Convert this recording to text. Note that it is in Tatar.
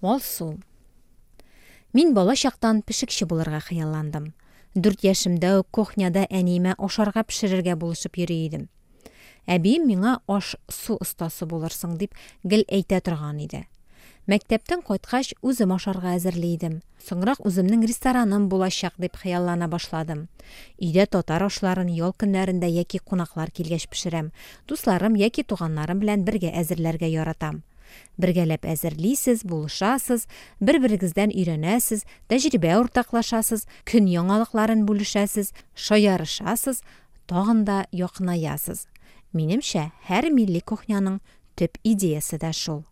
Алсу. Мин бала чактан пешекче булырга хыялландым. 4 яшемдә үк кухняда әниемә ашарга пешерергә булышып йөри идем. Әбием миңа аш-су остасы булырсың дип гел әйтә торган иде. Мәктәптән кайткач, үзем ашарга әзерли идем. Соңрак үземнең рестораным булачак дип хыяллана башладым. Өйдә татар ашларын ял көннәрендә яки кунаклар килгәч пешерәм. Дусларым яки туганнарым белән бергә әзерләргә яратам. Бергәләп әзерлисез, булышасыз, бер-берегездән өйрәнәсез, тәҗрибә уртаклашасыз, көн яңалыкларын бүлешәсез, шаярышасыз, тагын да якынаясыз. Минемчә, һәр милли кухняның төп идеясе дә шул.